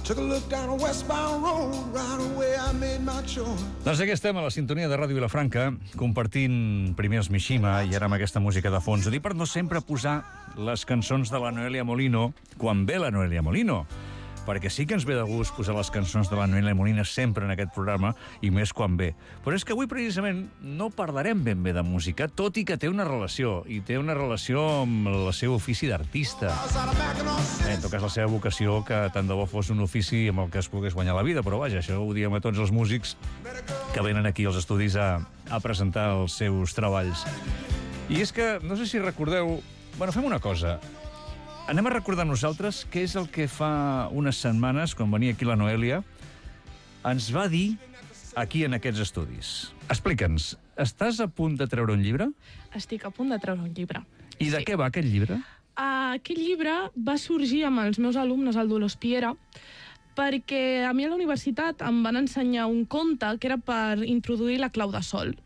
Took a look down a westbound road, right away I made my choice. Doncs aquí estem a la sintonia de Ràdio Vilafranca, compartint primer els Mishima i ara amb aquesta música de fons. Ho dic per no sempre posar les cançons de la Noelia Molino quan ve la Noelia Molino, perquè sí que ens ve de gust posar les cançons de la Noelia Molina sempre en aquest programa, i més quan ve. Però és que avui, precisament, no parlarem ben bé de música, tot i que té una relació, i té una relació amb el seu ofici d'artista. En tot cas, la seva vocació, que tant de bo fos un ofici amb el que es pogués guanyar la vida, però vaja, això ho diem a tots els músics que venen aquí als estudis a presentar els seus treballs. I és que, no sé si recordeu... Bueno, fem una cosa. Anem a recordar nosaltres què és el que fa unes setmanes, quan venia aquí la Noelia, ens va dir aquí en aquests estudis. Explica'ns, estàs a punt de treure un llibre? Estic a punt de treure un llibre. I de què va aquest llibre? Aquest llibre va sorgir amb els meus alumnes al Dolors Piera, perquè a mi a la universitat em van ensenyar un conte que era per introduir la clau de sol.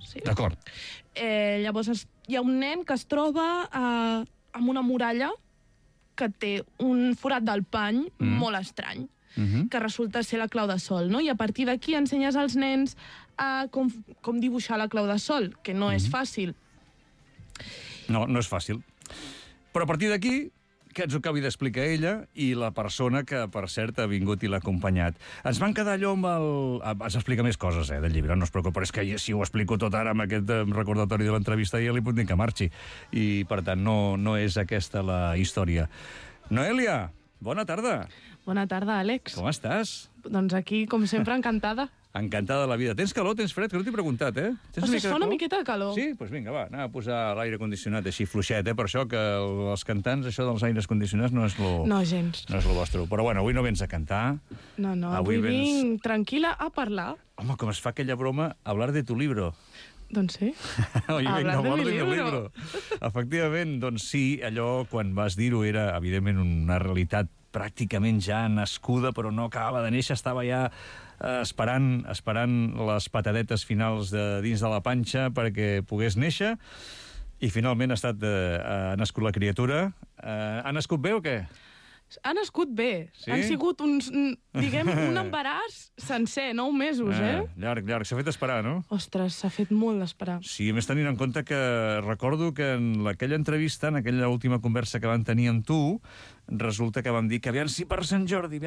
Sí. D'acord. Llavors hi ha un nen que es troba amb una muralla que té un forat del pany molt estrany, que resulta ser la clau de sol, no? I a partir d'aquí ensenyes als nens com dibuixar la clau de sol, que no és fàcil. No, no és fàcil. Però a partir d'aquí, que ens ho acabi d'explicar ella i la persona que, per cert, ha vingut i l'ha acompanyat. Ens van quedar allò amb el... Ens explica més coses, del llibre, no es preocupi, però és que si ho explico tot ara amb aquest recordatori de l'entrevista ja li puc dir que marxi. I, per tant, no és aquesta la història. Noelia, bona tarda. Bona tarda, Àlex. Com estàs? Doncs aquí, com sempre, encantada. Encantada de la vida. Tens calor, tens fred? Que no t'he preguntat, Tens Es fa una miqueta de calor. Sí? Doncs vinga, va, anem a posar l'aire condicionat així fluixet, Per això que els cantants, això dels aires condicionats no és lo... No, gens. No és lo vostre. Però bueno, avui no vens a cantar. No, avui vinc tranquil·la a parlar. Home, com es fa aquella broma, hablar de tu libro. Doncs sí. Hoy hablar vengo a hablar de de mi libro. Efectivament, doncs sí, allò, quan vas dir-ho, era, evidentment, una realitat pràcticament ja nascuda, però no acabava de néixer, estava ja esperant les patadetes finals de dins de la panxa perquè pogués néixer, i finalment ha nascut la criatura. Ha nascut bé o què? Ha nascut bé. Sí? Han sigut un embaràs sencer, 9 mesos, Llarg. S'ha fet esperar, no? Ostres, s'ha fet molt d'esperar. Sí, a més tenint en compte que recordo que en aquella entrevista, en aquella última conversa que van tenir amb tu, resulta que vam dir que aviam si per Sant Jordi.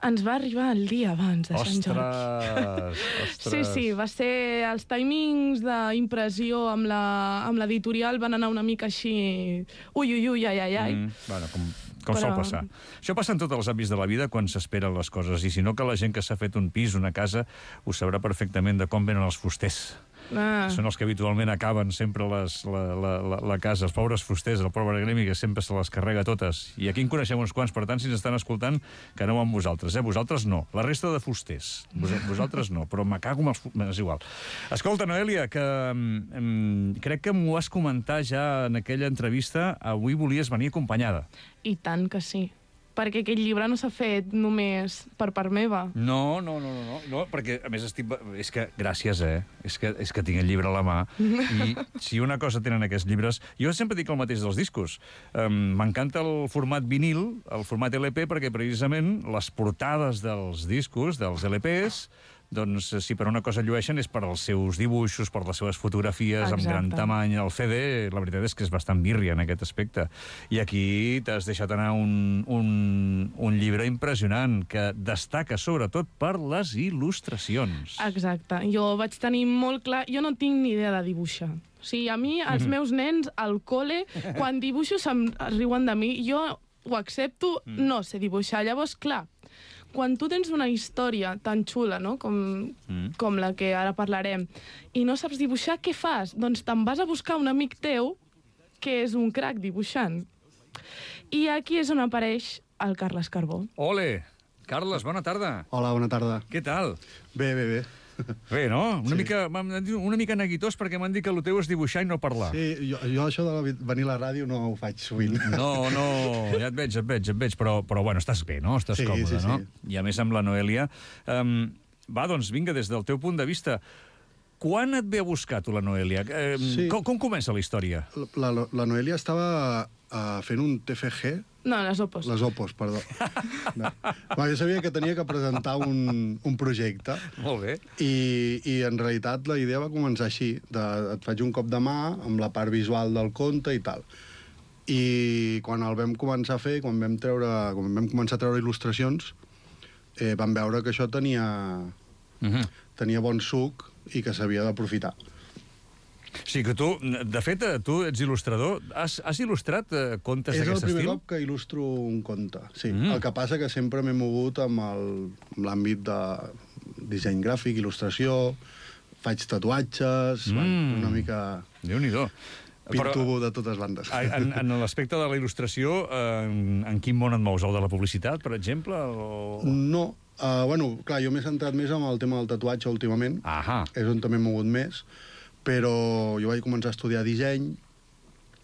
Ens va arribar el dia abans de Sant Jordi. Ostres! Sí, va ser... Els timings d'impressió amb l'editorial van anar una mica així... Ui, ai. Bueno, com sol passar. Això passa en tots els àmbits de la vida quan s'esperen les coses, i si no que la gent que s'ha fet un pis, una casa, ho sabrà perfectament de com venen els fusters. Són els que habitualment acaben sempre la casa, els pobres fusters, el pobre gremi que sempre se les carrega totes. I aquí en coneixem uns quants, per tant, si ens estan escoltant, que no amb vosaltres, Vosaltres no. La resta de fusters. Vosaltres no, però me cago amb els... És igual. Escolta, Noelia, que crec que m'ho vas comentar ja en aquella entrevista, avui volies venir acompanyada. I tant que sí. Perquè aquest llibre no s'ha fet només per part meva. No, perquè a més és que gràcies, és que tinc el llibre a la mà, i si una cosa tenen aquests llibres... Jo sempre dic el mateix dels discos. M'encanta el format vinil, el format LP, perquè precisament les portades dels discos, dels LPs, doncs si per una cosa llueixen és per als seus dibuixos, per les seves fotografies. Exacte. Amb gran tamany. El CD, la veritat és que és bastant birria en aquest aspecte. I aquí t'has deixat anar un llibre impressionant que destaca sobretot per les il·lustracions. Exacte. Jo vaig tenir molt clar... Jo no tinc ni idea de dibuixar. O sigui, a mi, els meus nens al col·le, quan dibuixo se'm riuen de mi. Jo ho accepto, no sé dibuixar. Llavors, clar, quan tu tens una història tan xula, no? com la que ara parlarem, i no saps dibuixar, què fas? Doncs te'n vas a buscar un amic teu que és un crac dibuixant. I aquí és on apareix el Carles Carbó. Ole! Carles, bona tarda. Hola, bona tarda. Què tal? Bé. Bé, no? Una Sí. mica neguitós, perquè m'han dit que el teu és dibuixar i no parlar. Sí, jo això de venir a la ràdio no ho faig sovint. No, ja et veig, però bueno, estàs bé, no? Estàs còmode, no? I a més amb la Noelia. Va, doncs vinga, des del teu punt de vista, quan et ve a buscar tu la Noelia? Com comença la història? La Noelia estava fent un TFG No, les Opos. Les Opos, perdó. No. Jo sabia que tenia que presentar un projecte. Molt bé. I en realitat la idea va començar així. Et faig un cop de mà amb la part visual del conte i tal. I quan el vam començar a fer, quan vam començar a treure il·lustracions, vam veure que això tenia bon suc i que s'havia d'aprofitar. Sí, que tu, de fet, tu ets il·lustrador. Has il·lustrat contes d'aquest estil? És el primer cop que il·lustro un conte, sí. El que passa que sempre m'he mogut amb l'àmbit de disseny gràfic, il·lustració, faig tatuatges, una mica... Déu-n'hi-do. Pinto de totes bandes. En l'aspecte de la il·lustració, en quin món et mous? El de la publicitat, per exemple? No. Bueno, clar, jo m'he centrat més en el tema del tatuatge últimament. És on també m'he mogut més. Però jo vaig començar a estudiar disseny,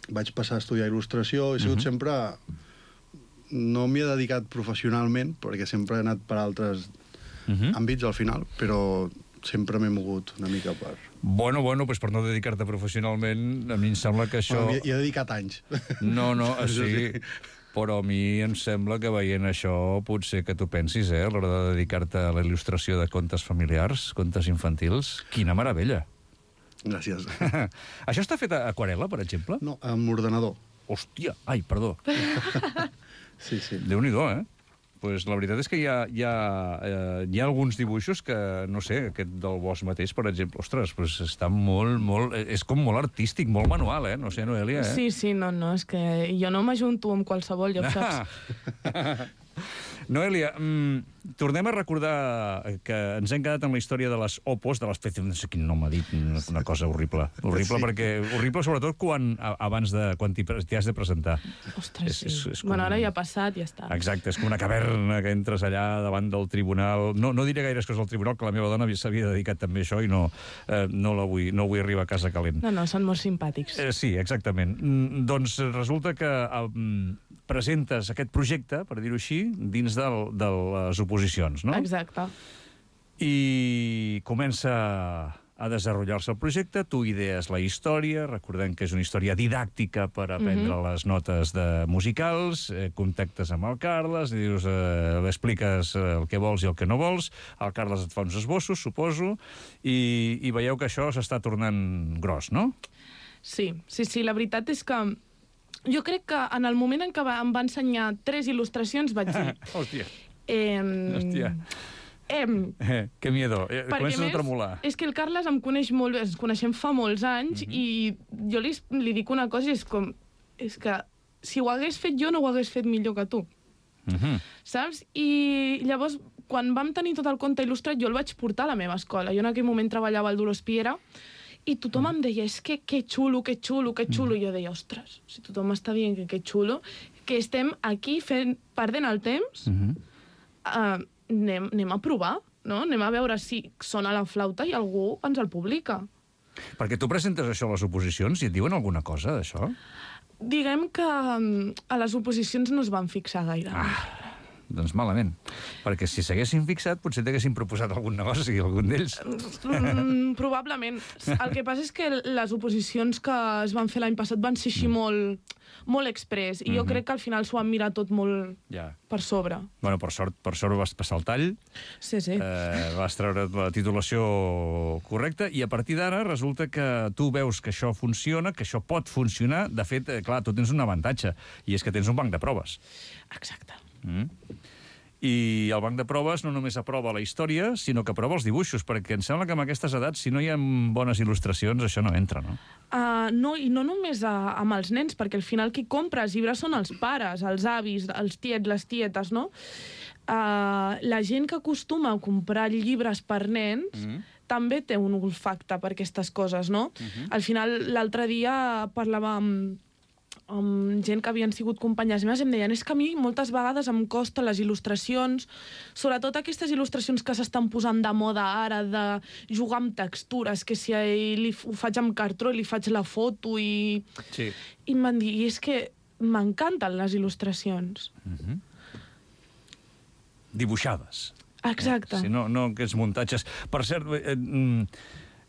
vaig passar a estudiar il·lustració, he sigut sempre... No m'hi he dedicat professionalment, perquè sempre he anat per altres àmbits al final, però sempre m'he mogut una mica per... Bueno, doncs per no dedicar-te professionalment, a mi em sembla que això... Bueno, hi he dedicat anys. No, sí, però a mi em sembla que veient això potser que tu pensis, a l'hora de dedicar-te a la il·lustració de contes familiars, contes infantils, quina meravella. Gràcies. Això està fet a aquarel·la, per exemple? No, amb ordenador. Hòstia, ai, perdó. Sí. Déu-n'hi-do, Pues la veritat és que hi ha alguns dibuixos que, no sé, aquest del bosc mateix, per exemple, ostres, pues està molt... És com molt artístic, molt manual, no sé, Noelia, Sí, no, és que jo no m'ajunto amb qualsevol, ja ho saps. Noelia, tornem a recordar que ens hem quedat amb la història de les Opos, de l'espècie, no sé quin nom ha dit, una cosa horrible. Horrible, perquè horrible sobretot quan t'hi has de presentar. Ostres, sí. Bueno, ara ja ha passat, ja està. Exacte, és com una caverna que entres allà davant del tribunal. No diré gaires coses al tribunal, que la meva dona s'havia dedicat també a això i no vull arribar a casa calent. No, són molt simpàtics. Sí, exactament. Doncs resulta que presentes aquest projecte, per dir-ho així, dins de les oposicions, no? Exacte. I comença a desenvolupar-se el projecte, tu idees la història, recordem que és una història didàctica per aprendre les notes musicals, contactes amb el Carles, dius, l'expliques el que vols i el que no vols, el Carles et fa uns esbossos, suposo, i veieu que això s'està tornant gros, no? Sí, la veritat és que jo crec que en el moment en què em va ensenyar 3 il·lustracions vaig dir... Hòstia. Que miedo. Comences a tremolar. És que el Carles em coneix molt bé, ens coneixem fa molts anys i jo li dic una cosa i és que si ho hagués fet jo no ho hagués fet millor que tu. Saps? I llavors, quan vam tenir tot el conte il·lustrat, jo el vaig portar a la meva escola. Jo en aquell moment treballava al Dolors Piera i tothom em deia, és que xulo. I jo deia, ostres, si tothom està dient que xulo, que estem aquí perdent el temps, anem a provar, no? Anem a veure si sona la flauta i algú ens el publica. Perquè tu presentes això a les oposicions i et diuen alguna cosa d'això? Diguem que a les oposicions no es van fixar gaire. Doncs malament. Perquè si s'haguessin fixat, potser t'haguessin proposat algun negoci, algun d'ells. Probablement. El que passa és que les oposicions que es van fer l'any passat van ser així molt express, i jo crec que al final s'ho han mirat tot molt per sobre. Bueno, per sort vas passar el tall. Sí. Vas treure la titulació correcta, i a partir d'ara resulta que tu veus que això funciona, que això pot funcionar. De fet, clar, tu tens un avantatge, i és que tens un banc de proves. Exacte. I el banc de proves no només aprova la història, sinó que aprova els dibuixos, perquè em sembla que amb aquestes edats, si no hi ha bones il·lustracions, això no entra, no? No, i no només amb els nens, perquè al final qui compra els llibres són els pares, els avis, els tiets, les tietes, no? La gent que acostuma a comprar llibres per nens també té un olfacte per aquestes coses, no? Al final, l'altre dia parlava amb gent que havien sigut companyes meves, em deien, és que a mi moltes vegades em costa les il·lustracions, sobretot aquestes il·lustracions que s'estan posant de moda ara, de jugar amb textures, que si ho faig amb cartró i li faig la foto i em van dir, i és que m'encanten les il·lustracions. Dibuixades. Exacte. Si no aquests muntatges. Per cert,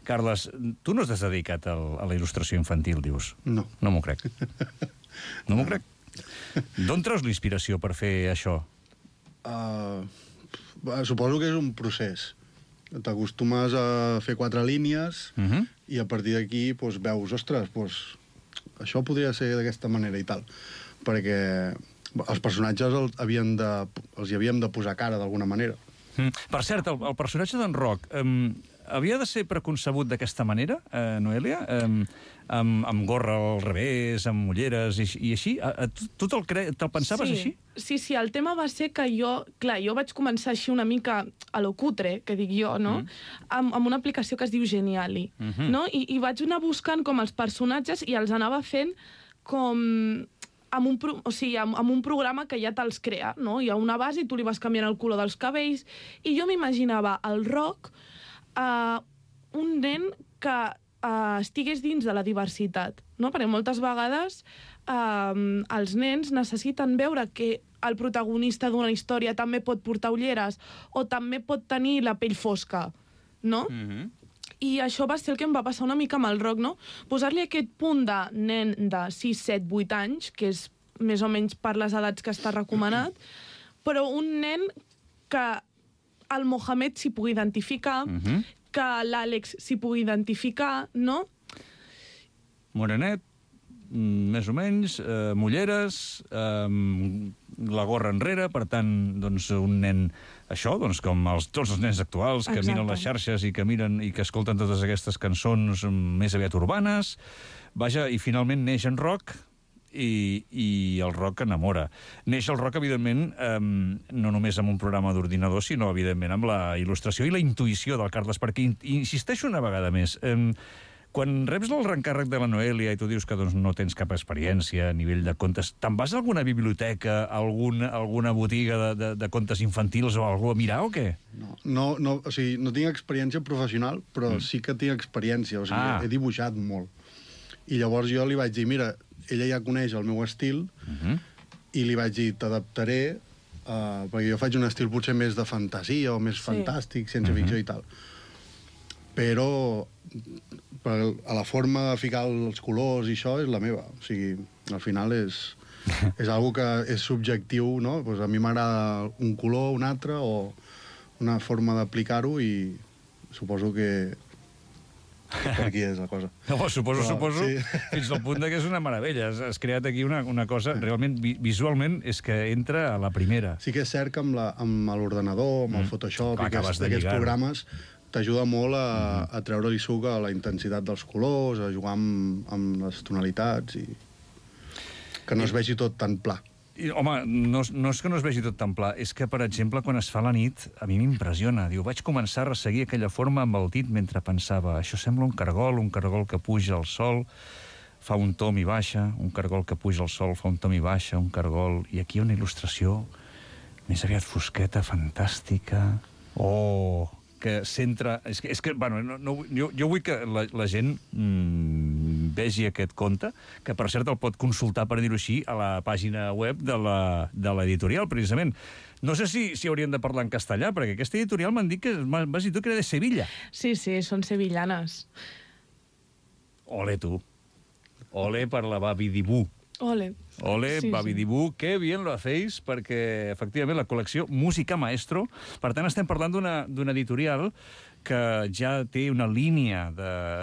Carles, tu no t'has dedicat a la il·lustració infantil, dius? No. No m'ho crec. No m'ho crec. D'on treus l'inspiració per fer això? Suposo que és un procés. T'acostumes a fer 4 línies i a partir d'aquí veus, ostres, això podria ser d'aquesta manera i tal. Perquè els personatges els hi havíem de posar cara d'alguna manera. Per cert, el personatge d'en Roc havia de ser preconcebut d'aquesta manera, Noelia? Amb gorra al revés, amb ulleres i així? Tu te'l pensaves així? Sí, el tema va ser que jo vaig començar així una mica a lo cutre, que dic jo, no? Amb una aplicació que es diu Geniali, no? I vaig anar buscant com els personatges i els anava fent com amb un programa que ja te'ls crea, no? Hi ha una base i tu li vas canviant el color dels cabells i jo m'imaginava el Roc un nen que estigués dins de la diversitat, no? Perquè moltes vegades els nens necessiten veure que el protagonista d'una història també pot portar ulleres o també pot tenir la pell fosca, no? I això va ser el que em va passar una mica amb el Roc, no? Posar-li aquest punt de nen de 6, 7, 8 anys, que és més o menys per les edats que està recomanat, però un nen que el Mohamed s'hi pugui identificar, que l'Àlex s'hi pugui identificar, no? Morenet, més o menys, mulleres, la gorra enrere, per tant, doncs, un nen, això, doncs, com tots els nens actuals que miren les xarxes i que miren i que escolten totes aquestes cançons més aviat urbanes. Vaja, i finalment neix en Roc i el Roc enamora. Neix el Roc, evidentment, no només amb un programa d'ordinador, sinó, evidentment, amb la il·lustració i la intuïció del Carles, perquè insisteixo una vegada més. Quan reps el reencàrrec de la Noelia i tu dius que doncs, no tens cap experiència a nivell de contes, te'n vas a alguna biblioteca, alguna botiga de contes infantils o algú a mirar o què? No, o sigui, no tinc experiència professional, però sí que tinc experiència, o sigui, he dibuixat molt. I llavors jo li vaig dir, mira, ella ja coneix el meu estil, i li vaig dir, t'adaptaré, perquè jo faig un estil potser més de fantasia o més fantàstic, ciència ficció i tal. Però a la forma de ficar els colors i això és la meva. O sigui, al final és algo que és subjectiu, no? Pues a mi m'agrada un color, un altre, o una forma d'aplicar-ho i suposo que per aquí és la cosa. Suposo, sí. Fins al punt que és una meravella. Has creat aquí una cosa, realment, visualment, és que entra a la primera. Sí que és cert que amb l'ordenador, amb el Photoshop i aquests programes t'ajuda molt a treure-li suc a la intensitat dels colors, a jugar amb les tonalitats i que no es vegi tot tan pla. Home, no és que no es vegi tot tan pla, és que, per exemple, quan es fa la nit, a mi m'impressiona. Diu, vaig començar a resseguir aquella forma amb el dit mentre pensava, això sembla un cargol que puja al sol, fa un tom i baixa, un cargol que puja al sol, fa un tom i baixa, un cargol... I aquí una il·lustració més aviat fosqueta, fantàstica... Oh... que centra... És que bueno, jo vull que la gent vegi aquest conte, que per cert el pot consultar, per dir-ho així, a la pàgina web de l'editorial, precisament. No sé si hauríem de parlar en castellà, perquè aquesta editorial m'han dit que m'has dit tu que era de Sevilla. Sí, són sevillanes. Ole, tu. Ole per la Babi Dibú. Ole, sí, Babi Dibú, que bien lo hacéis, perquè, efectivament, la col·lecció Música Maestro, per tant, estem parlant d'una editorial que ja té una línia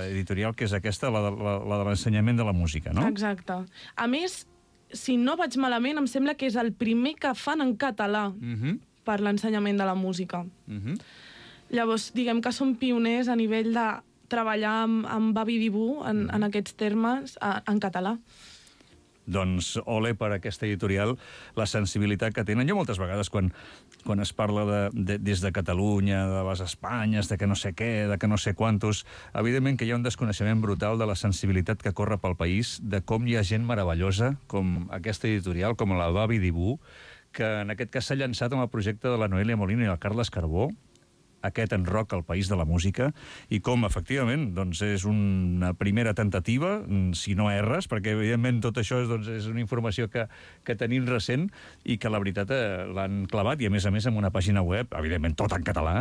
editorial que és aquesta, la de l'ensenyament de la música, no? Exacte. A més, si no vaig malament, em sembla que és el primer que fan en català per l'ensenyament de la música. Llavors, diguem que són pioners a nivell de treballar amb Babi Dibú en aquests termes en català. Doncs ole per aquesta editorial, la sensibilitat que tenen. Jo moltes vegades, quan es parla des de Catalunya, de les Espanyes, de que no sé què, de que no sé quantos, evidentment que hi ha un desconeixement brutal de la sensibilitat que corre pel país, de com hi ha gent meravellosa, com aquesta editorial, com la Babi Dibú, que en aquest cas s'ha llançat amb el projecte de la Noelia Molino i el Carles Carbó, aquest En Rock al País de la Música, i com, efectivament, doncs, és una primera tentativa, si no erres, perquè, evidentment, tot això és una informació que tenim recent i que, la veritat, l'han clavat, i, a més, amb una pàgina web, evidentment, tot en català,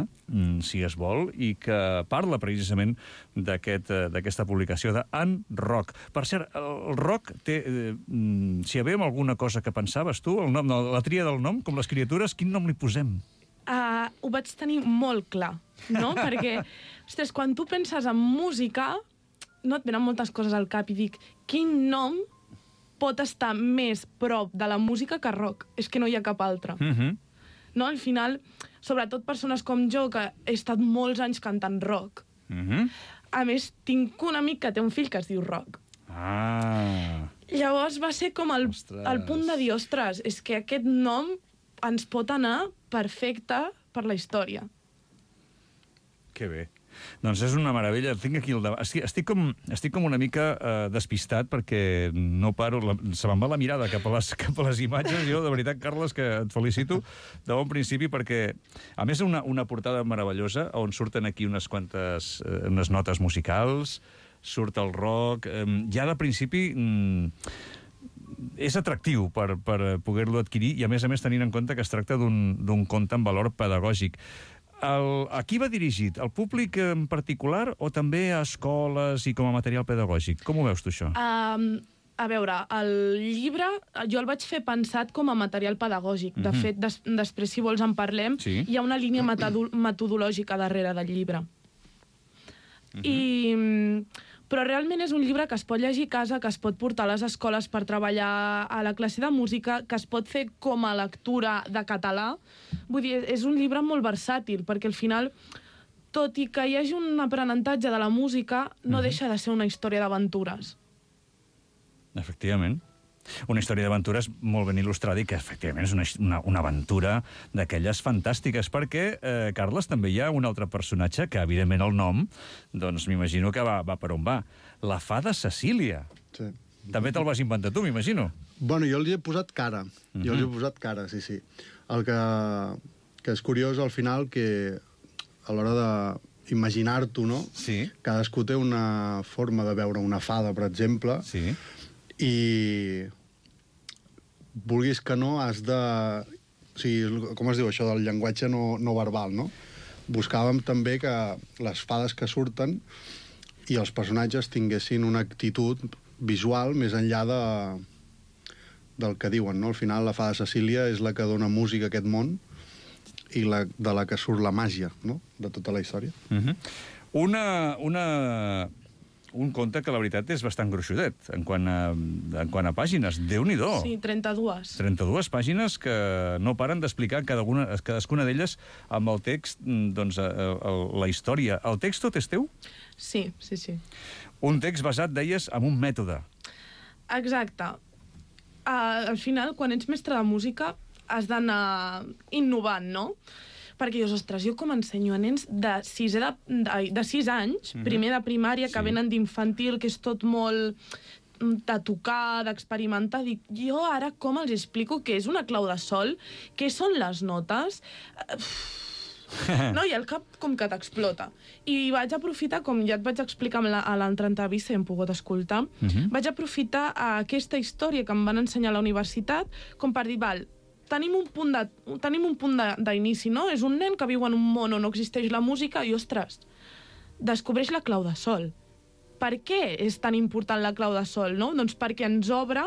si es vol, i que parla, precisament, d'aquesta publicació de En Rock. Per cert, el rock té... si hi havia alguna cosa que pensaves tu, el nom, la tria del nom, com les criatures, quin nom li posem? Ho vaig tenir molt clar, no? Perquè, ostres, quan tu penses en música, no et venen moltes coses al cap i dic, quin nom pot estar més prop de la música que rock? És que no hi ha cap altre. No? Al final, sobretot persones com jo, que he estat molts anys cantant rock. A més, tinc un amic que té un fill que es diu Rock. Llavors va ser com el punt de dir, ostres, és que aquest nom ens pot anar perfecte per la història. Que bé. Doncs és una meravella. Tinc aquí estic com una mica despistat perquè no paro... Se me'n va la mirada cap a les imatges. Jo, de veritat, Carles, que et felicito de bon principi perquè, a més, una portada meravellosa on surten aquí unes quantes unes notes musicals, surt el rock... Ja de principi... és atractiu per poder-lo adquirir i, a més, tenint en compte que es tracta d'un conte amb valor pedagògic. A qui va dirigit? Al públic en particular o també a escoles i com a material pedagògic? Com ho veus tu, això? A veure, el llibre jo el vaig fer pensat com a material pedagògic. De fet, després, si vols, en parlem. Hi ha una línia metodològica darrere del llibre. Però realment és un llibre que es pot llegir a casa, que es pot portar a les escoles per treballar a la classe de música, que es pot fer com a lectura de català. Vull dir, és un llibre molt versàtil, perquè al final, tot i que hi hagi un aprenentatge de la música, no deixa de ser una història d'aventures. Efectivament. Una història d'aventures molt ben il·lustrada i que, efectivament, és una aventura d'aquelles fantàstiques, perquè, Carles, també hi ha un altre personatge que, evidentment, el nom, doncs m'imagino que va per on va. La fada Cecília. Sí. També te'l vas inventar tu, m'imagino. Bueno, jo els hi he posat cara. Sí. El que és curiós, al final, que a l'hora d'imaginar-t'ho, no? Sí. Cadascú té una forma de veure una fada, per exemple, sí. I vulguis que no, has de... O sigui, com es diu això del llenguatge no verbal, no? Buscàvem també que les fades que surten i els personatges tinguessin una actitud visual més enllà del que diuen, no? Al final, la fada Cecília és la que dona música a aquest món i de la que surt la màgia, no?, de tota la història. Un conte que, la veritat, és bastant gruixudet en quant a pàgines. Déu-n'hi-do! Sí, 32. 32 pàgines que no paren d'explicar cadascuna d'elles amb el text, doncs, la història. El text tot és teu? Sí. Un text basat, deies, en un mètode. Exacte. Al final, quan ets mestre de música, has d'anar innovant, no? Perquè dius, ostres, jo com ensenyo a nens de 6 anys, primer de primària, que venen d'infantil, que és tot molt de tocar, d'experimentar, dic, jo ara com els explico què és una clau de sol, què són les notes... No, i el cap com que t'explota. I vaig aprofitar, com ja et vaig explicar a l'altra entrevista, i hem pogut escoltar, vaig aprofitar aquesta història que em van ensenyar a la universitat com per dir, val, tenim un punt d'inici, no? És un nen que viu en un món on no existeix la música i, ostres, descobreix la clau de sol. Per què és tan important la clau de sol, no? Doncs perquè ens obre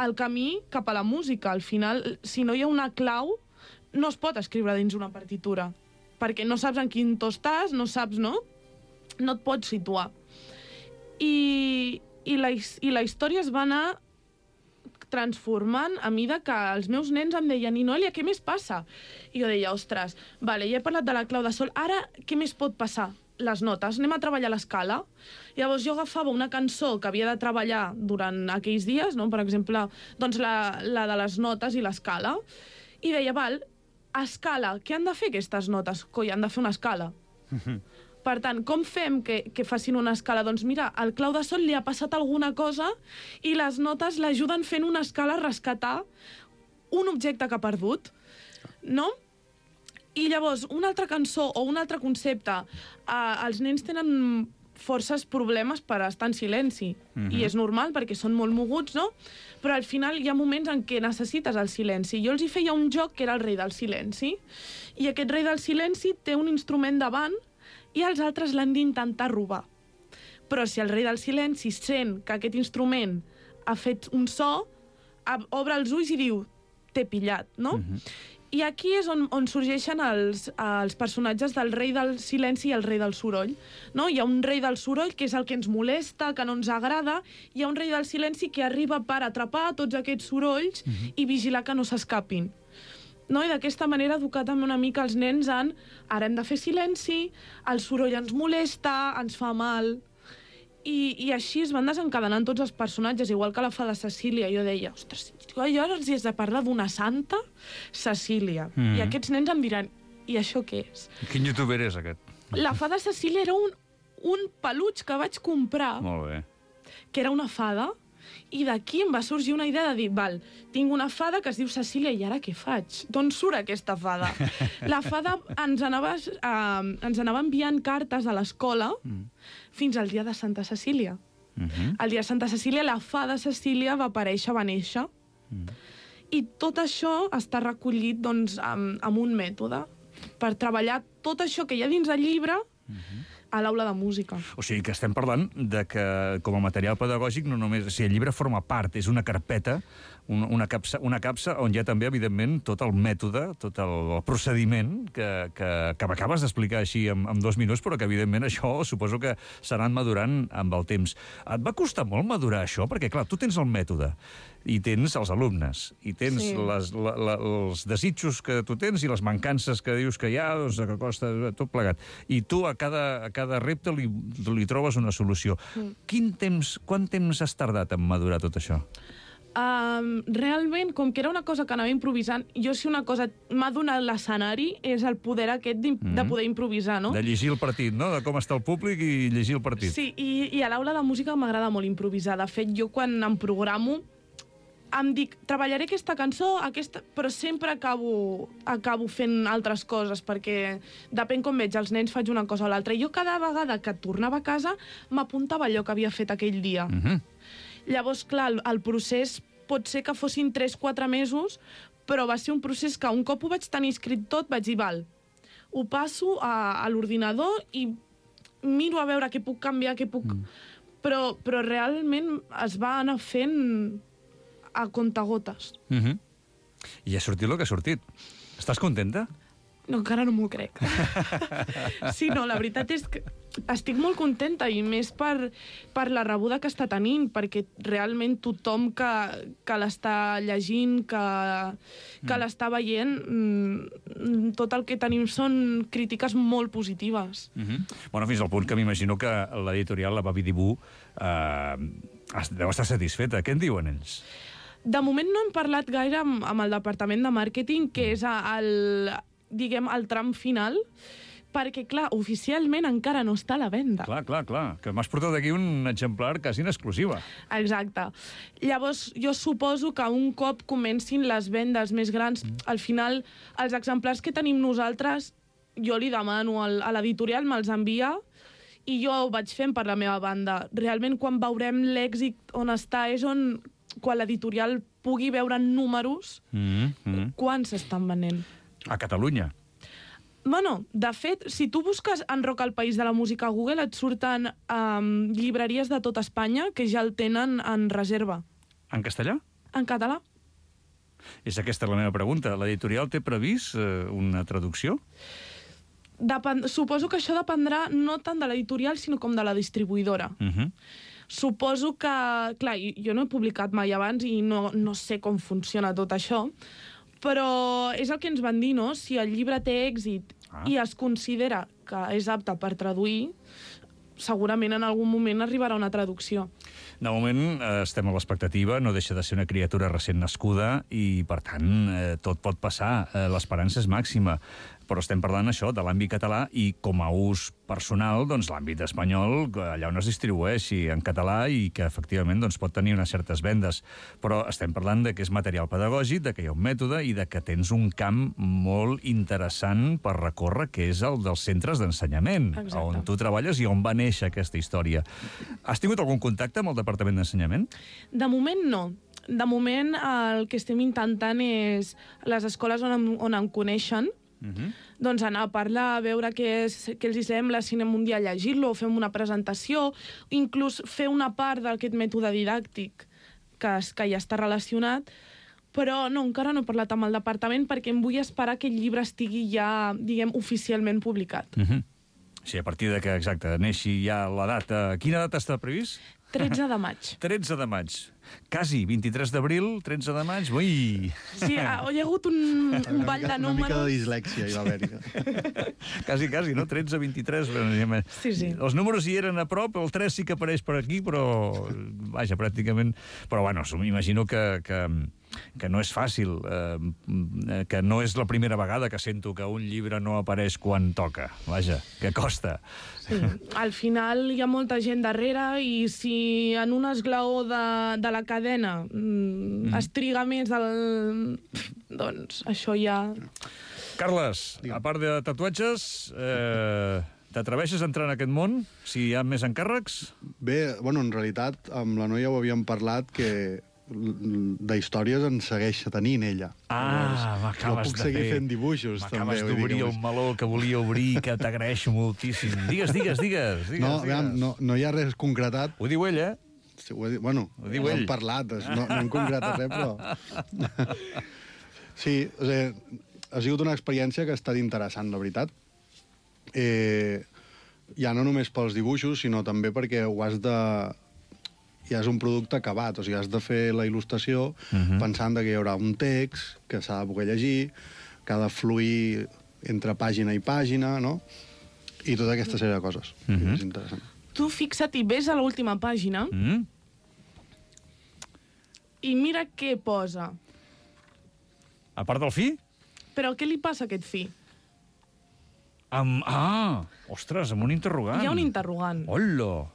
el camí cap a la música. Al final, si no hi ha una clau, no es pot escriure dins una partitura, perquè no saps en quin to estàs, no saps, no? No et pots situar. I la història es va anar transformant a mida que els meus nens em deien, i Noelia, què més passa? I jo deia, ostres, vale, ja he parlat de la clau de sol, ara què més pot passar? Les notes, anem a treballar l'escala. Llavors jo agafava una cançó que havia de treballar durant aquells dies, no? Per exemple, doncs la de les notes i l'escala, i deia, val, escala, què han de fer aquestes notes? Coi, han de fer una escala. Per tant, com fem que facin una escala? Doncs mira, al clau de sol li ha passat alguna cosa i les notes l'ajuden fent una escala a rescatar un objecte que ha perdut, no? I llavors, una altra cançó o un altre concepte, els nens tenen forces problemes per estar en silenci. I és normal, perquè són molt moguts, no? Però al final hi ha moments en què necessites el silenci. Jo els hi feia un joc que era el rei del silenci. I aquest rei del silenci té un instrument davant i els altres l'han d'intentar robar. Però si el rei del silenci sent que aquest instrument ha fet un so, obre els ulls i diu, t'he pillat, no? I aquí és on sorgeixen els personatges del rei del silenci i el rei del soroll. No? Hi ha un rei del soroll, que és el que ens molesta, que no ens agrada, hi ha un rei del silenci que arriba per atrapar tots aquests sorolls i vigilar que no s'escapin. No? I d'aquesta manera educar també una mica els nens en ara hem de fer silenci, el soroll ens molesta, ens fa mal. I així es van desencadenant tots els personatges, igual que la fada Cecília. Jo deia, ostres, jo ara els has de parlar d'una santa Cecília. I aquests nens em diran, i això què és? Quin youtuber és aquest? La fada Cecília era un peluig que vaig comprar, Molt bé. que era una fada, i d'aquí em va sorgir una idea de dir, val, tinc una fada que es diu Cecília, i ara què faig? D'on surt aquesta fada? La fada ens anava enviant cartes a l'escola fins al dia de Santa Cecília. El dia de Santa Cecília, la fada Cecília va aparèixer, va néixer, i tot això està recollit doncs, amb un mètode per treballar tot això que hi ha dins el llibre a l'aula de música. O sigui que estem parlant de que, com a material pedagògic, no només... O sigui, el llibre forma part, és una carpeta, una capsa on hi ha també, evidentment, tot el mètode, tot el procediment que m'acabes d'explicar així en 2 minuts, però que, evidentment, això suposo que s'ha anat madurant amb el temps. Et va costar molt madurar això? Perquè, clar, tu tens el mètode, i tens els alumnes, i tens els desitjos que tu tens i les mancances que dius que hi ha, doncs, que costa tot plegat. I tu a cada repte li trobes una solució. Quant temps has tardat en madurar tot això? Realment, com que era una cosa que anava improvisant, jo si una cosa m'ha donat l'escenari és el poder aquest de poder improvisar, no? De llegir el partit, no? De com està el públic i llegir el partit. Sí, i a l'aula de música m'agrada molt improvisar. De fet, jo quan em programo em dic, treballaré aquesta cançó, però sempre acabo fent altres coses, perquè depèn com veig els nens, faig una cosa o l'altra. I jo cada vegada que tornava a casa m'apuntava allò que havia fet aquell dia. Llavors, clar, el procés pot ser que fossin 3-4 mesos, però va ser un procés que un cop ho vaig tenir escrit tot, vaig dir, val, ho passo a l'ordinador i miro a veure què puc canviar, què puc... Però realment es va anar fent a contagotes. I ha sortit el que ha sortit. Estàs contenta? No, encara no m'ho crec. Sí, no, la veritat és que estic molt contenta, i més per la rebuda que està tenint, perquè realment tothom que l'està llegint, que l'està veient, tot el que tenim són crítiques molt positives. Bueno, fins al punt que m'imagino que l'editorial, la Babi Dibú, deu estar satisfeta. Què en diuen ells? De moment no hem parlat gaire amb el departament de màrqueting, que és el tram final, perquè, clar, oficialment encara no està a la venda. Clar, que m'has portat aquí un exemplar quasi en exclusiva. Exacte. Llavors, jo suposo que un cop comencin les vendes més grans, al final, els exemplars que tenim nosaltres, jo li demano a l'editorial, me'ls envia, i jo ho vaig fent per la meva banda. Realment, quan veurem l'èxit on està, és quan l'editorial pugui veure en números quants s'estan venent. A Catalunya? Bueno, de fet, si tu busques en Rock al País de la Música a Google, et surten llibreries de tot Espanya que ja el tenen en reserva. En castellà? En català. És aquesta la meva pregunta. L'editorial té previst una traducció? Suposo que això dependrà no tant de l'editorial, sinó com de la distribuïdora. Suposo que... Clar, jo no he publicat mai abans i no sé com funciona tot això, però és el que ens van dir, no? Si el llibre té èxit i es considera que és apte per traduir, segurament en algun moment arribarà una traducció. De moment estem a l'expectativa, no deixa de ser una criatura recent nascuda i, per tant, tot pot passar. L'esperança és màxima. però estem parlant això de l'àmbit català i com a ús personal, doncs l'àmbit espanyol, allà on es distribueixi en català i que efectivament doncs, pot tenir unes certes vendes. Però estem parlant de que és material pedagògic, de que hi ha un mètode i de que tens un camp molt interessant per recórrer, que és el dels centres d'ensenyament, on tu treballes i on va néixer aquesta història. Has tingut algun contacte amb el Departament d'Ensenyament? De moment no. De moment el que estem intentant és les escoles on em coneixen, doncs anar a parlar, a veure què els hi sembla, si anem un dia a llegir-lo, o fem una presentació, inclús fer una part d'aquest mètode didàctic que ja està relacionat, però no, encara no he parlat amb el departament perquè em vull esperar que el llibre estigui ja, diguem, oficialment publicat. Sí, a partir de que, exacte, neixi ja la data... Quina data està previst? 13 de maig. 13 de maig. Quasi, 23 d'abril, 13 de maig, ui! Sí, hi ha hagut un ball de números... Una mica de dislèxia hi va haver-hi. Quasi, no? 13, 23... Sí. Els números hi eren a prop, el 3 sí que apareix per aquí, però... Vaja, pràcticament... Però, bueno, m'imagino que no és fàcil, que no és la primera vegada que sento que un llibre no apareix quan toca. Vaja, que costa. Sí, al final hi ha molta gent darrere i si en un esglaó de la cadena es triga més doncs això ja... Carles, a part de tatuatges, t'atreveixes a entrar en aquest món, si hi ha més encàrrecs? Bé, bueno, en realitat, amb la noia ho havíem parlat que d'històries en segueix tenint ella. M'acabes de puc seguir fent dibuixos, també. M'acabes d'obrir el meló que volia obrir, que t'agraeixo moltíssim. Digues. No hi ha res concretat. Ho diu ell, eh? Sí, ho diu ell. Hem parlat, no hem concretat res, però... Sí, ha sigut una experiència que ha estat interessant, la veritat. Ja no només pels dibuixos, sinó també perquè ho has de... ja és un producte acabat, o sigui, has de fer la il·lustració pensant que hi haurà un text que s'ha de poder llegir, que ha de fluir entre pàgina i pàgina, no? I tota aquesta sèrie de coses. És interessant. Tu fixa't i ves a l'última pàgina i mira què posa. A part del fi? Però què li passa a aquest fi? Ostres, amb un interrogant. Hi ha un interrogant. Hola,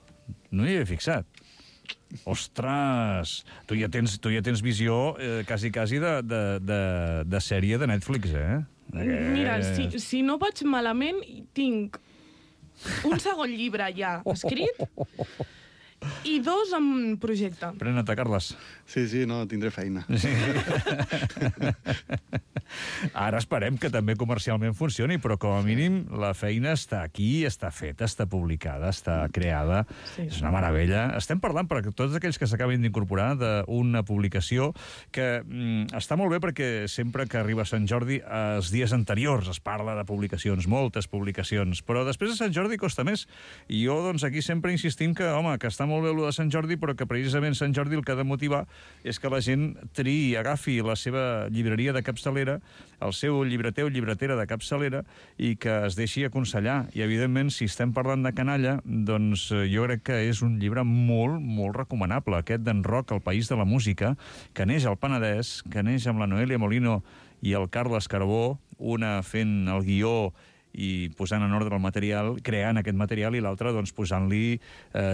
no hi havia fixat. Ostres, tu ja tens visió quasi de sèrie de Netflix, eh? Mira, si no vaig malament, tinc un segon llibre ja escrit i 2 en projecte. Pren-te, Carles. Sí, no, tindré feina. Sí. Ara esperem que també comercialment funcioni, però com a mínim la feina està aquí, està feta, està publicada, està creada. Sí. És una meravella. Estem parlant, per tots aquells que s'acaben d'incorporar, d'una publicació que està molt bé perquè sempre que arriba Sant Jordi, els dies anteriors es parla de publicacions, moltes publicacions, però després de Sant Jordi costa més. I jo, doncs, aquí sempre insistim que, home, que està molt bé el de Sant Jordi, però que precisament Sant Jordi el que ha de motivar és que la gent triï, agafi la seva llibreria de capçalera, el seu llibreter o llibretera de capçalera, i que es deixi aconsellar. I, evidentment, si estem parlant de canalla, doncs jo crec que és un llibre molt, molt recomanable, aquest d'en Roc, El país de la música, que neix al Penedès, que neix amb la Noelia Molino i el Carles Carbó, una fent el guió i posant en ordre el material, creant aquest material, i l'altre doncs, posant-li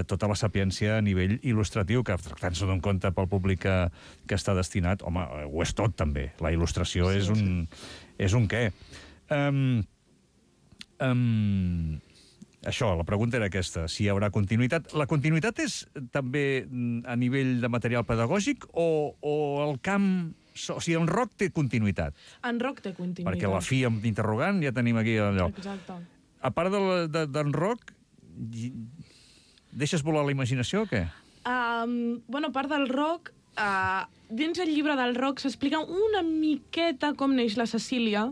tota la sapiència a nivell il·lustratiu, que tractant-se d'un conte pel públic que està destinat, home, ho és tot també. La il·lustració és un què. Això, la pregunta era aquesta, si hi haurà continuïtat. La continuïtat és també a nivell de material pedagògic o el camp... O sigui, en Roc té continuïtat. En Roc té continuïtat. Perquè la fi amb interrogant ja tenim aquí allò. Exacte. A part d'en Roc, deixes volar la imaginació o què? Bueno, a part del Roc, dins el llibre del Roc s'explica una miqueta com neix la Cecília.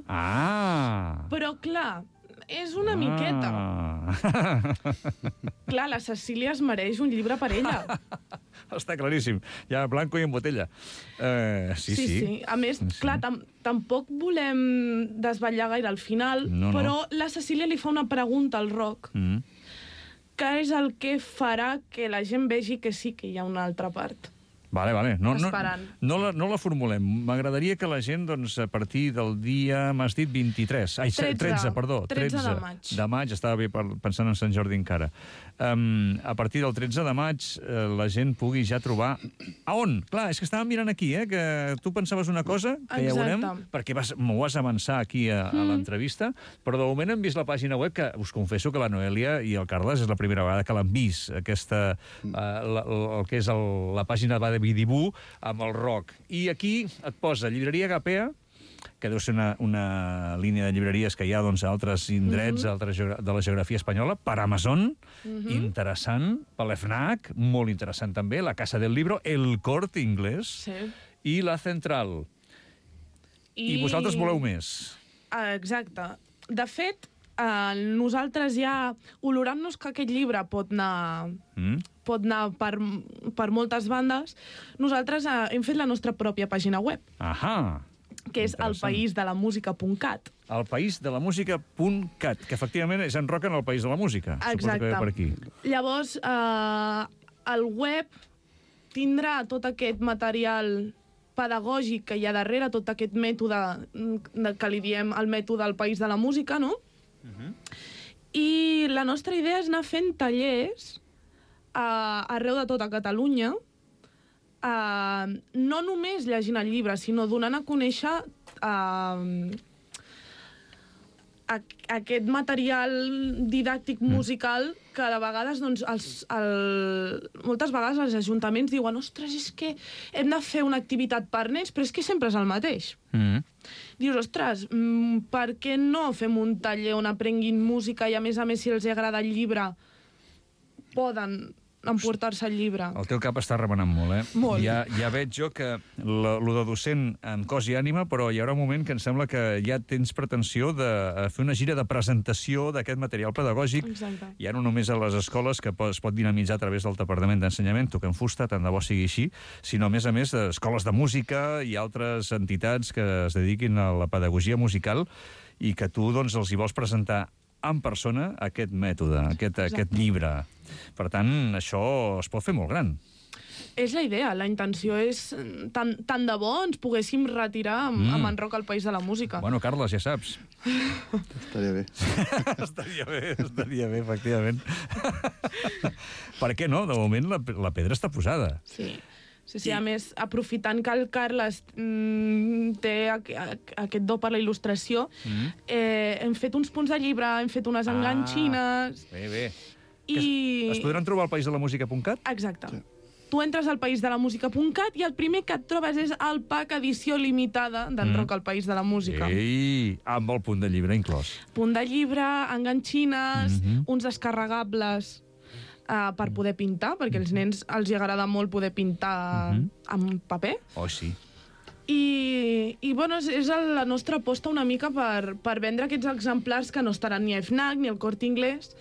Però, clar, és una miqueta. Clar, la Cecília es mereix un llibre per ella. Està claríssim. Ja blanco i en botella. Sí. A més, clar, tampoc volem desvetllar gaire al final, però la Cecília li fa una pregunta al Roc, que és el que farà que la gent vegi que sí que hi ha una altra part. Vale. No la formulem. M'agradaria que la gent, doncs, a partir del dia, m'has dit 23. Ai, 13, perdó. 13 de maig. De maig, estava bé pensant en Sant Jordi encara. A partir del 13 de maig la gent pugui ja trobar... A on? Clar, és que estàvem mirant aquí, que tu pensaves una cosa, que ja veurem, perquè m'ho vas avançar aquí a l'entrevista, però de moment hem vist la pàgina web, que us confesso que la Noèlia i el Carles és la primera vegada que l'han vist, aquesta, el que és la pàgina de Bidibú amb el rock. I aquí et posa llibreria Gapea, que deu ser una línia de llibreries que hi ha doncs, a altres indrets de la geografia espanyola, per Amazon, interessant, per l'FNAC, molt interessant també, la Casa del Libro, el Corte Inglés i la Central. I vosaltres voleu més. Exacte. De fet, nosaltres ja, olorant-nos que aquest llibre pot anar per moltes bandes, nosaltres hem fet la nostra pròpia pàgina web. Ahà. Que és elpaísdelamusica.cat. Elpaísdelamusica.cat, que efectivament és en rock en el País de la Música. Exacte. Suposo que ve per aquí. Llavors, el web tindrà tot aquest material pedagògic que hi ha darrere, tot aquest mètode que li diem el mètode del País de la Música, no? I la nostra idea és anar fent tallers arreu de tota Catalunya, no només llegint el llibre, sinó donant a conèixer aquest material didàctic musical que de vegades, doncs, moltes vegades els ajuntaments diuen ostres, és que hem de fer una activitat per nens, però és que sempre és el mateix. Dius, ostres, per què no fem un taller on aprenguin música i, a més, si els agrada el llibre, poden emportar-se el llibre. El teu cap està remenant molt, Molt. Ja veig jo que lo de docent en cos i ànima, però hi haurà un moment que em sembla que ja tens pretensió de fer una gira de presentació d'aquest material pedagògic. Exacte. Ja no només a les escoles, que es pot dinamitzar a través del Departament d'Ensenyament, toquem fusta, tant de bo sigui així, sinó, a més, escoles de música i altres entitats que es dediquin a la pedagogia musical i que tu, doncs, els hi vols presentar en persona aquest mètode, aquest llibre. Per tant, això es pot fer molt gran. És la idea, la intenció és tant de bo ens poguéssim retirar amb en rock al País de la Música. Bueno, Carles, ja saps. Estaria bé. estaria bé, efectivament. Per què no? De moment la pedra està posada. Sí, a més, aprofitant que el Carles té aquest do per la il·lustració, hem fet uns punts de llibre, hem fet unes enganxines... Bé. Es podran trobar al paísdelamusica.cat? Exacte. Sí. Tu entres al paísdelamusica.cat i el primer que et trobes és el pack edició limitada d'en Rock al País de la Música. Ei, amb el punt de llibre inclòs. Punt de llibre, enganxines, uns descarregables per poder pintar, perquè als nens els agrada molt poder pintar amb paper. Oh, sí. I bueno, és la nostra aposta una mica per vendre aquests exemplars que no estaran ni a FNAC ni al Corte Inglés.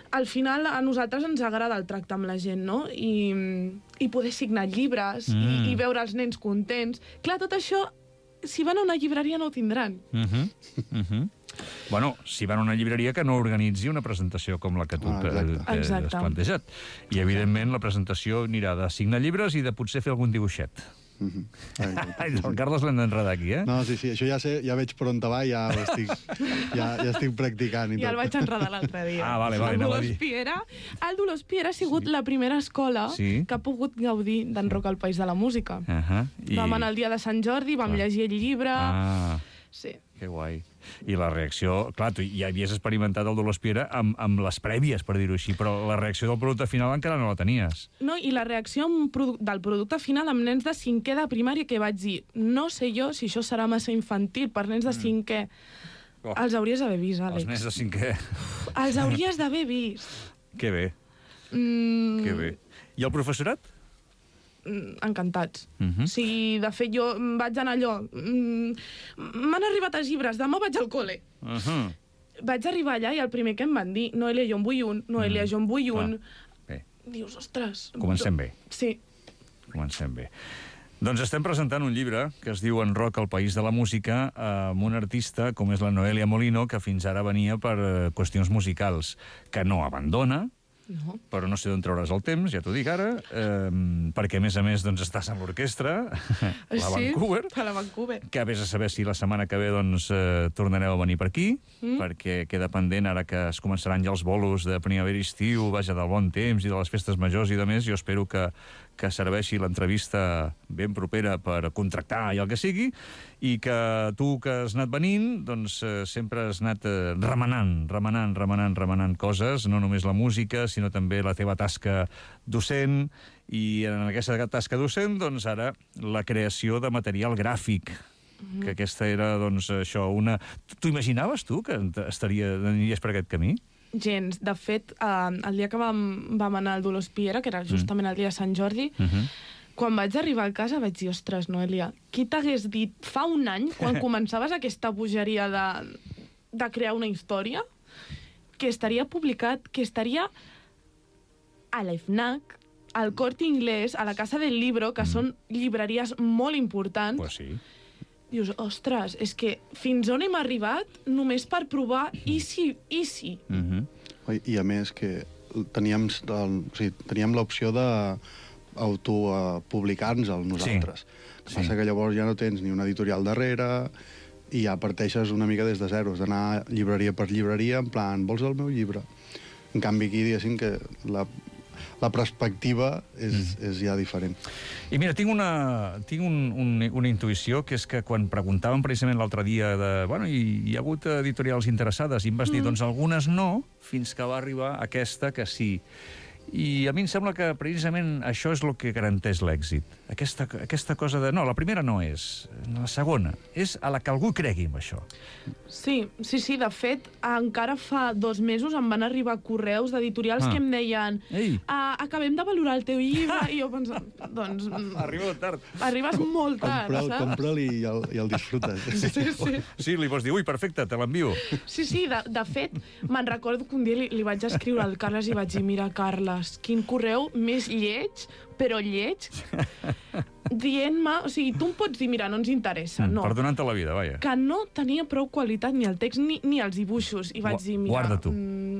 Al final, a nosaltres ens agrada el tracte amb la gent, no? I poder signar llibres i veure els nens contents. Clar, tot això, si van a una llibreria no ho tindran. Bueno, si van a una llibreria que no organitzi una presentació com la que tu has plantejat. I, evidentment, la presentació anirà de signar llibres i de potser fer algun dibuixet. El Carles l'hem d'enredar aquí, No, sí, això ja veig per on te va i ja estic practicant. Ja el vaig enredar l'altre dia. Vale, el Dolors Piera ha sigut la primera escola que ha pogut gaudir d'en Rock al País de la Música. Vam anar el dia de Sant Jordi, vam llegir el llibre... Sí. Que guai. I la reacció... Clar, tu ja havies experimentat el Dolors Piera amb les prèvies, per dir-ho així, però la reacció del producte final encara no la tenies. No, i la reacció del producte final amb nens de 5è de primària, que vaig dir, no sé jo si això serà massa infantil per nens de 5è. Els hauries d'haver vist, Àlex. Els nens de 5è. Els hauries d'haver vist. Que bé. Que bé. I el professorat? Encantats. Sí, de fet, jo vaig anar allò... M'han arribat els llibres, demà vaig al col·le. Vaig arribar allà i el primer que em van dir, Noelia, jo en vull un, Noelia, jo en vull un. Dius, ostres... Comencem bé. Sí. Comencem bé. Doncs estem presentant un llibre que es diu En Rock al País de la Música amb un artista com és la Noelia Molino, que fins ara venia per qüestions musicals, que no abandona, No. Però no sé d'on trauràs el temps, ja t'ho dic ara, perquè, a més, doncs, estàs en l'orquestra, la Vancouver. Sí, a la Vancouver. Que vés a saber si la setmana que ve doncs, tornareu a venir per aquí, perquè queda pendent ara que es començaran ja els bolos de primavera i estiu, vaja, del bon temps i de les festes majors i de més. Jo espero que serveixi l'entrevista ben propera per contractar i el que sigui, i que tu que has anat venint, doncs sempre has anat remenant coses, no només la música, sinó també la teva tasca docent, i en aquesta tasca docent, doncs ara, la creació de material gràfic, que aquesta era, doncs, això, una... T'ho imaginaves, tu, que aniries per aquest camí? Gens. De fet, el dia que vam anar al Dolors Piera, que era justament el dia de Sant Jordi, quan vaig arribar a casa vaig dir, ostres, Noelia, qui t'hagués dit fa un any, quan començaves aquesta bogeria de crear una història, que estaria publicat, que estaria a l'FNAC, al Corte Inglés, a la Casa del Libro, que són llibreries molt importants. Pues sí. Dius, ostres, és que fins on hem arribat només per provar i si. I a més que teníem l'opció d'autopublicar-nos nosaltres. Sí. Passa que llavors ja no tens ni una editorial darrere i ja parteixes una mica des de zero, d'anar llibreria per llibreria en plan, vols el meu llibre? En canvi aquí, diguéssim que la perspectiva és ja diferent. I mira, tinc una intuïció, que és que quan preguntàvem precisament l'altre dia hi ha hagut editorials interessades, i em vas dir, doncs algunes no, fins que va arribar aquesta que sí. I a mi em sembla que precisament això és el que garanteix l'èxit. Aquesta cosa de... No, la primera no és. La segona és a la que algú cregui en això. Sí. De fet, encara fa 2 mesos em van arribar correus d'editorials que em deien acabem de valorar el teu llibre, i jo pensava, doncs... Arriba tard. Arribes molt tard, saps? Compra'l i el disfrutes. Sí, li pots dir, ui, perfecte, te l'envio. Sí, de fet, me'n recordo que un dia li vaig escriure al Carles i vaig dir, mira, Carles, quin correu més lleig, però lleig, dient-me... O sigui, tu em pots dir, mira, no ens interessa, no. Perdonant-te la vida, vaja. Que no tenia prou qualitat ni el text ni els dibuixos. I vaig dir, mira...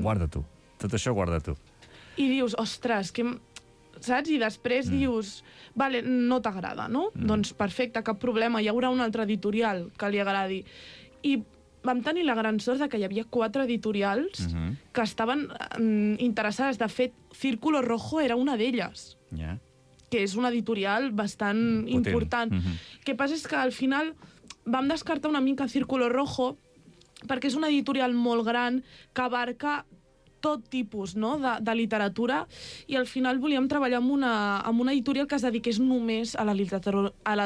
Guarda tu. Tot això guarda tu. I dius, ostres, que... Saps? I després dius, vale, no t'agrada, no? Doncs perfecte, cap problema, hi haurà un altre editorial que li agradi. I vam tenir la gran sort de que hi havia 4 editorials que estaven interessades. De fet, Círculo Rojo era una d'elles, que és una editorial bastant important. Què passa és que al final vam descartar una mica Círculo Rojo perquè és una editorial molt gran que abarca tot tipus, no?, de literatura, i al final volíem treballar amb una editorial que es dediqués només a la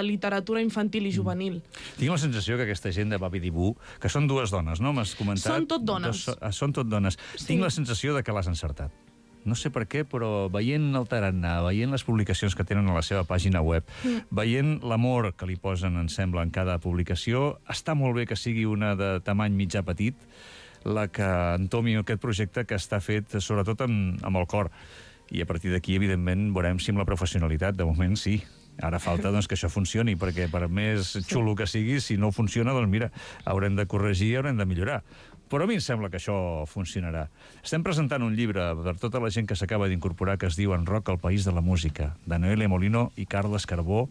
literatura infantil i juvenil. Tinc la sensació que aquesta gent de Babi Dibú, que són 2 dones, no? M'has comentat... Són tot dones. Són tot dones. Sí. Tinc la sensació de que l'has encertat. No sé per què, però veient el tarannà, veient les publicacions que tenen a la seva pàgina web, veient l'amor que li posen, em sembla, en cada publicació, està molt bé que sigui una de tamany mitjà petit, la que entomi aquest projecte que està fet sobretot amb el cor. I a partir d'aquí, evidentment, veurem si amb la professionalitat, de moment sí. Ara falta doncs, que això funcioni, perquè per més xulo que sigui, si no funciona, doncs mira, haurem de corregir i haurem de millorar. Però a mi em sembla que això funcionarà. Estem presentant un llibre per tota la gent que s'acaba d'incorporar que es diu En Roc, el país de la música, de Noelia Molino i Carles Carbó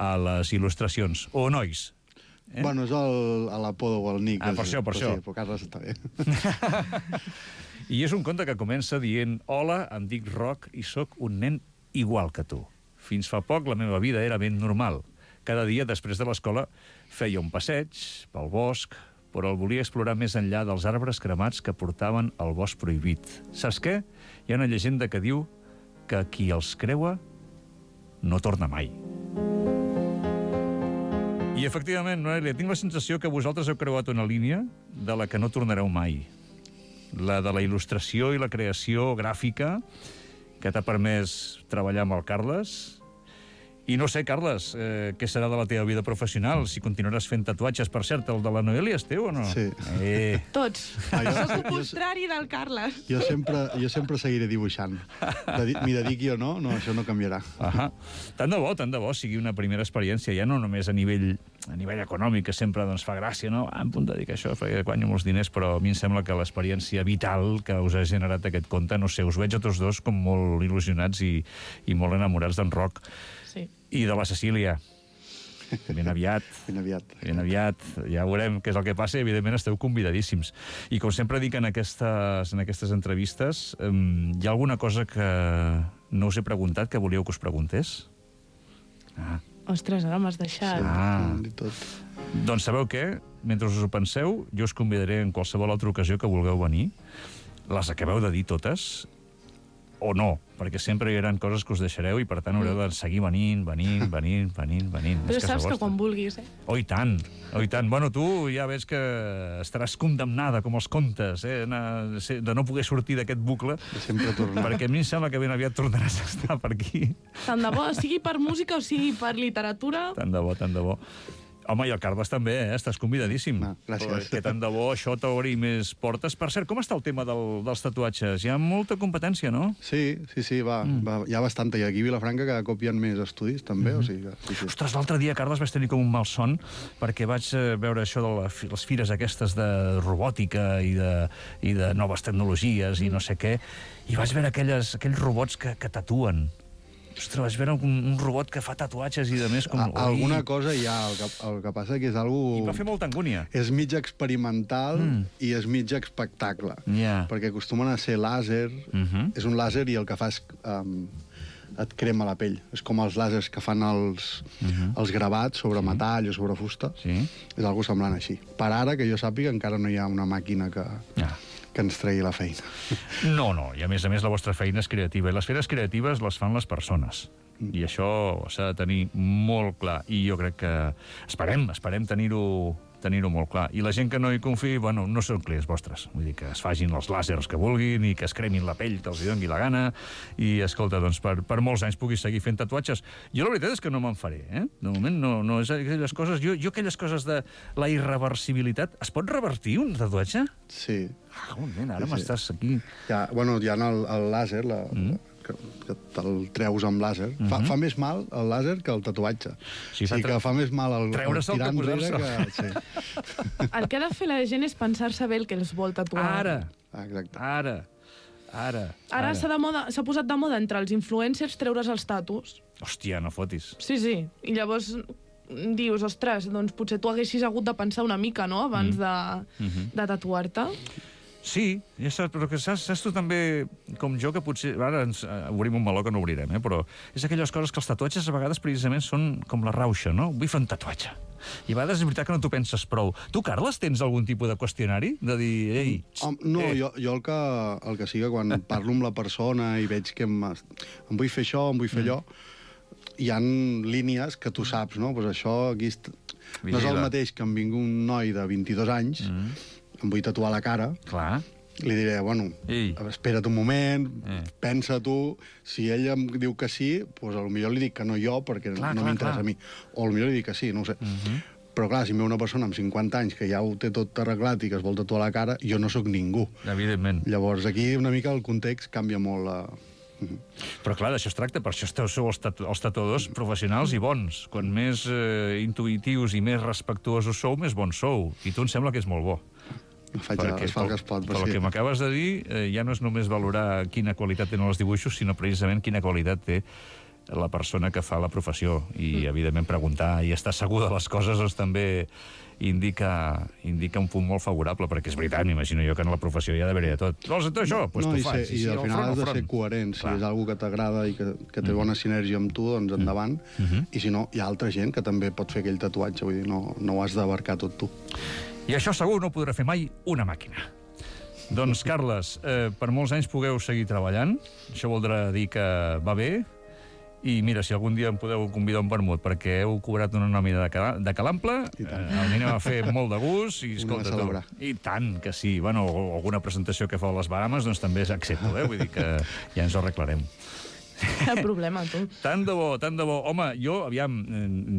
a les il·lustracions. O nois. Bueno, és l'apodo o el nick. Per això. Sí, però Carles està bé. I és un conte que comença dient: hola, em dic Roc i sóc un nen igual que tu. Fins fa poc la meva vida era ben normal. Cada dia, després de l'escola, feia un passeig pel bosc, però el volia explorar més enllà dels arbres cremats que portaven al bosc prohibit. Saps què? Hi ha una llegenda que diu que qui els creua no torna mai. I, efectivament, Noelia, tinc la sensació que vosaltres heu creuat una línia de la que no tornareu mai. La de la il·lustració i la creació gràfica, que t'ha permès treballar amb el Carles, I no sé, Carles, què serà de la teva vida professional? Si continuaràs fent tatuatges, per cert, el de la Noelia és teu o no? Sí. Tots. Soc el contrari del Carles. Jo sempre seguiré dibuixant. M'hi dediqui o no, això no canviarà. Tant de bo sigui una primera experiència, ja no només a nivell econòmic, que sempre fa gràcia, no? Em puc dedicar a això, perquè guanyo molts diners, però a mi em sembla que l'experiència vital que us ha generat aquest conte, no sé, us veig a tots dos com molt il·lusionats i molt enamorats d'en Roc. Sí. I de la Cecília. Ben aviat. Ben aviat. Ja veurem què és el que passa i, evidentment, esteu convidadíssims. I, com sempre dic en aquestes entrevistes, hi ha alguna cosa que no us he preguntat que volíeu que us preguntés? Ostres, ara m'has deixat. Doncs sabeu què? Mentre us ho penseu, jo us convidaré en qualsevol altra ocasió que vulgueu venir. Les acabeu de dir totes, o no, perquè sempre hi haurà coses que us deixareu i, per tant, haureu de seguir venint. Però saps que quan vulguis, eh? Oh, i tant. Bueno, tu ja veig que estaràs condemnada, com els contes, de no poder sortir d'aquest bucle. Sempre tornar. Perquè a mi em sembla que ben aviat tornaràs a estar per aquí. Tant de bo, sigui per música o sigui per literatura. Tant de bo. Home, i el Carles també, estàs convidadíssim. Gràcies. Que tant de bo això t'obri més portes. Per cert, com està el tema dels tatuatges? Hi ha molta competència, no? Sí, va. Hi ha bastanta. I aquí a Vilafranca cada cop hi ha més estudis, també. O sigui que, sí. Ostres, l'altre dia, Carles, vaig tenir com un malson perquè vaig veure això de les fires aquestes de robòtica i de noves tecnologies i no sé què, i vaig veure aquells robots que tatuen. Ostres, vaig veure un robot que fa tatuatges i de més com... Alguna cosa hi ha, el que passa que és algo... I va fer molta angúnia. És mig experimental i és mig espectacle. Perquè acostumen a ser làser, és un làser i el que fa és... et crema la pell. És com els làsers que fan els gravats sobre metall o sobre fusta. És algo semblant així. Per ara, que jo sàpiga, encara no hi ha una màquina que ens tregui la feina. No, i a més la vostra feina és creativa. I les feines creatives les fan les persones. I això s'ha de tenir molt clar. I jo crec que esperem tenir-ho molt clar. I la gent que no hi confiï, bueno, no són clients vostres. Vull dir que es facin els làsers que vulguin i que es cremin la pell que els doni la gana. I, escolta, doncs, per molts anys puguis seguir fent tatuatges. Jo la veritat és que no me'n faré, eh? De moment no és aquelles coses... Jo aquelles coses de la irreversibilitat... Es pot revertir un tatuatge? Sí. Ara m'estàs aquí... Hi ha el làser, que te'l treus amb làser. Fa més mal el làser que el tatuatge. Sí, que fa més mal el tirar enrere que... Sí. El que ha de fer la gent és pensar-se bé el que els vol tatuar. Ara s'ha posat de moda entre els influencers treure's els tatus. Hòstia, no fotis. Sí. I llavors dius, ostres, doncs potser tu haguessis hagut de pensar una mica, no?, abans de tatuar-te. Sí, ja saps, però que saps tu també, com jo, que potser... Ara ens obrim un meló que no obrirem, però és aquelles coses que els tatuatges a vegades precisament són com la rauxa, no? Vull fer un tatuatge. I a vegades és veritat que no t'ho penses prou. Tu, Carles, tens algun tipus de qüestionari? De dir, ei... No, jo el que sigui, quan parlo amb la persona i veig que em vull fer això, em vull fer allò, hi ha línies que tu saps, no? Pues això aquí... No és el mateix que em vingui un noi de 22 anys... em vull tatuar la cara, li diré, bueno, espera't un moment, pensa tu, si ell em diu que sí, doncs potser li dic que no jo, perquè no m'interessa a mi. O potser li dic que sí, no ho sé. Però clar, si em ve una persona amb 50 anys que ja ho té tot arreglat i que es vol tatuar la cara, jo no sóc ningú. Evidentment. Llavors aquí una mica el context canvia molt. Però clar, d'això es tracta, per això sou els tatuadors professionals i bons. Quan més intuïtius i més respectuosos sou, més bons sou. I tu em sembla que és molt bo. Es fa el que es pot. Pel que m'acabes de dir, ja no és només valorar quina qualitat tenen els dibuixos, sinó precisament quina qualitat té la persona que fa la professió. I, evidentment, preguntar i estar segur de les coses doncs, també indica un punt molt favorable, perquè és veritat, m'imagino jo, que en la professió hi ha d'haver de tot. Vols fer això? Doncs tu fas. I al final has de ser coherent. Si és una que t'agrada i que té bona sinergia amb tu, doncs endavant. I si no, hi ha altra gent que també pot fer aquell tatuatge. Vull dir, no ho has d'abarcar tot tu. I això segur no podrà fer mai una màquina. Doncs, Carles, per molts anys pugueu seguir treballant. Això voldrà dir que va bé. I mira, si algun dia em podeu convidar un vermut perquè heu cobrat una nòmina de calample, el anem a fer molt de gust. I escolta tu, i tant que sí. Bueno, alguna presentació que fa a les Bahamas, doncs també accepto, Vull dir que ja ens ho arreglarem. El problema, tu. Tant de bo, tant de bo. Home, jo, aviam,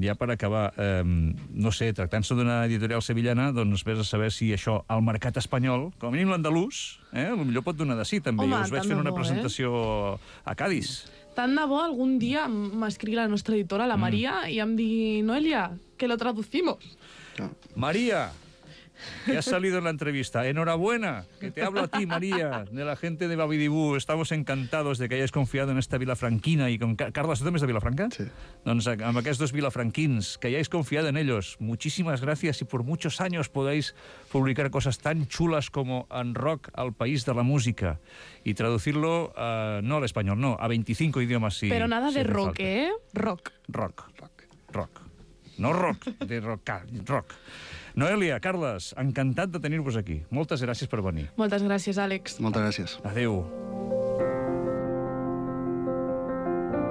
ja per acabar, no sé, tractant-se d'una editorial sevillana, doncs vés a saber si això, al mercat espanyol, com a mínim l'andalús, potser pot donar de sí, també. Home, Us veig fent una presentació a Cádiz. Tant de bo algun dia m'escrigui la nostra editora, la Maria, i em digui, Noelia, que lo traducimos. María, que has salido en la entrevista. Enhorabuena, que te hablo a ti, María, de la gente de Babidibú. Estamos encantados de que hayáis confiado en esta vilafranquina y con... Carles, ¿tú también es de Vilafranca? Sí. Doncs amb aquests dos vilafranquins, que hayáis confiado en ellos. Muchísimas gracias y por muchos años podáis publicar cosas tan chulas como En Rock al país de la música y traducirlo, no al español, no, a 25 idiomas. Si, Pero nada si de hace rock, falta. ¿eh? Rock. Rock. No rock, de rock. Noelia, Carles, encantat de tenir-vos aquí. Moltes gràcies per venir. Moltes gràcies, Àlex. Moltes gràcies. Adéu.